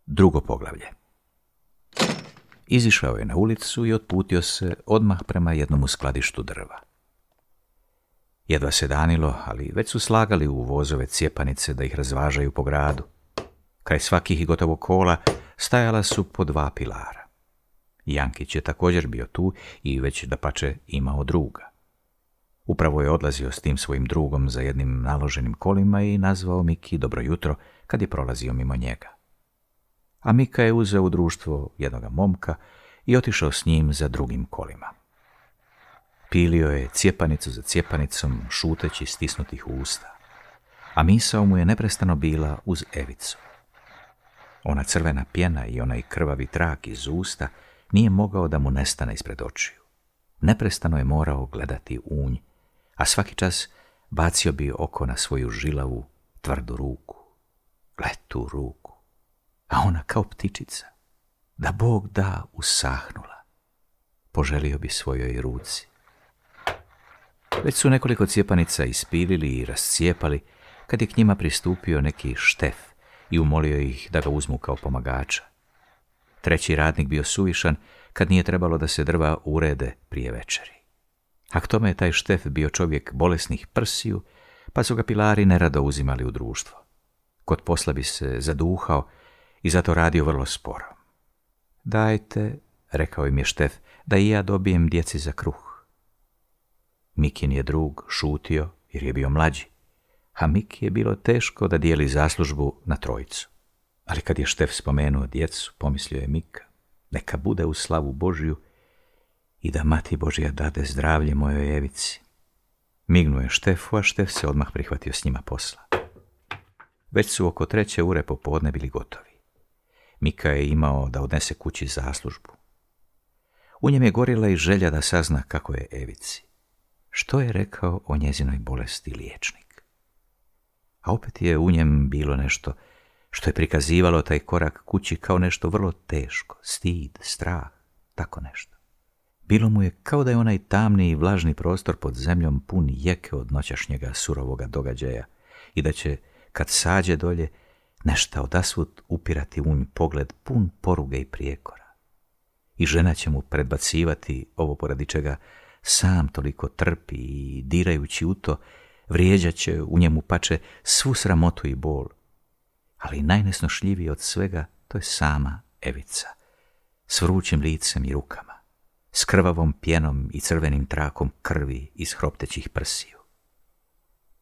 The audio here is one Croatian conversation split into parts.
Drugo poglavlje. Izišao je na ulicu i otputio se odmah prema jednom skladištu drva. Jedva se danilo, ali već su slagali u vozove cijepanice da ih razvažaju po gradu. Kraj svakih gotovo kola stajala su po 2 pilara. Jankić je također bio tu i već dapače imao druga. Upravo je odlazio s tim svojim drugom za jednim naloženim kolima i nazvao Miki dobro jutro kad je prolazio mimo njega. A Mika je uzeo u društvo jednoga momka i otišao s njim za drugim kolima. Pilio je cijepanicu za cijepanicom, šuteći stisnutih usta, a misao mu je neprestano bila uz Evicu. Ona crvena pjena i onaj krvavi trak iz usta nije mogao da mu nestane ispred očiju. Neprestano je morao gledati u nj, a svaki čas bacio bi oko na svoju žilavu, tvrdu ruku. Gle tu ruku, a ona kao ptičica, da Bog da, usahnula. Poželio bi svojoj ruci. Već su nekoliko cijepanica ispilili i rascijepali kad je k njima pristupio neki Štef i umolio ih da ga uzmu kao pomagača. Treći radnik bio suvišan kad nije trebalo da se drva urede prije večeri. A k tome je taj Štef bio čovjek bolesnih prsiju, pa su ga pilari nerado uzimali u društvo. Kod posla bi se zaduhao i zato radio vrlo sporo. Dajte, rekao im je Štef, da i ja dobijem djeci za kruh. Mikin je drug šutio jer je bio mlađi, a Miki je bilo teško da dijeli zaslužbu na trojicu. Ali kad je Štef spomenuo djecu, pomislio je Mika, neka bude u slavu Božju i da Mati Božja dade zdravlje mojoj Evici. Mignuo je Štefu, a Štef se odmah prihvatio s njima posla. Već su oko 3 ure popodne bili gotovi. Mika je imao da odnese kući zaslužbu. U njem je gorila i želja da sazna kako je Evici. Što je rekao o njezinoj bolesti liječnik? A opet je u njem bilo nešto što je prikazivalo taj korak kući kao nešto vrlo teško, stid, strah, tako nešto. Bilo mu je kao da je onaj tamni i vlažni prostor pod zemljom pun jeke od noćašnjega surovoga događaja i da će, kad sađe dolje, nešto odasvud upirati u nj pogled pun poruge i prijekora. I žena će mu predbacivati ovo poradi čega sam toliko trpi i dirajući u to, vrijeđat će u njemu pače svu sramotu i bol. Ali najnesnošljiviji od svega to je sama Evica, s vrućim licem i rukama, s krvavom pjenom i crvenim trakom krvi iz hroptećih prsiju.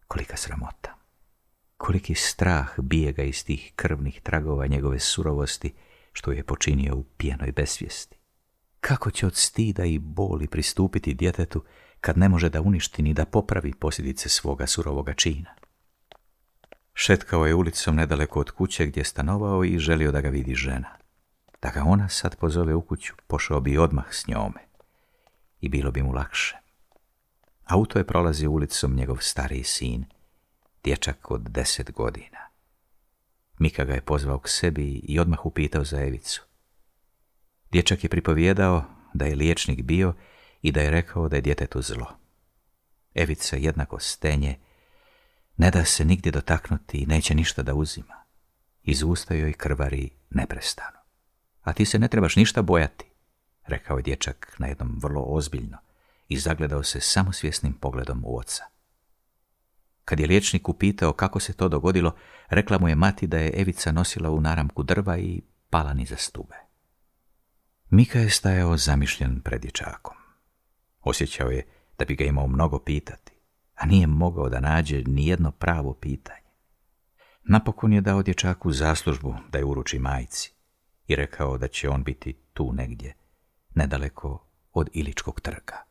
Kolika sramota, koliki strah bije ga iz tih krvnih tragova njegove surovosti što je počinio u pijenoj besvijesti. Kako će od stida i boli pristupiti djetetu kad ne može da uništi ni da popravi posljedice svoga surovoga čina? Šetkao je ulicom nedaleko od kuće gdje je stanovao i želio da ga vidi žena. Da ga ona sad pozove u kuću, pošao bi odmah s njome i bilo bi mu lakše. Auto je prolazio ulicom njegov stariji sin, dječak od 10 godina. Mika ga je pozvao k sebi i odmah upitao za Evicu. Dječak je pripovijedao da je liječnik bio i da je rekao da je djetetu zlo. Evica jednako stenje, ne da se nigdje dotaknuti i neće ništa da uzima. Iz usta joj krvari neprestano. A ti se ne trebaš ništa bojati, rekao je dječak na jednom vrlo ozbiljno i zagledao se samosvjesnim pogledom u oca. Kad je liječnik upitao kako se to dogodilo, rekla mu je mati da je Evica nosila u naramku drva i pala niza stube. Mika je stajao zamišljen pred dječakom. Osjećao je da bi ga imao mnogo pitati, a nije mogao da nađe ni jedno pravo pitanje. Napokon je dao dječaku zaslužbu da je uruči majci i rekao da će on biti tu negdje, nedaleko od Iličkog trga.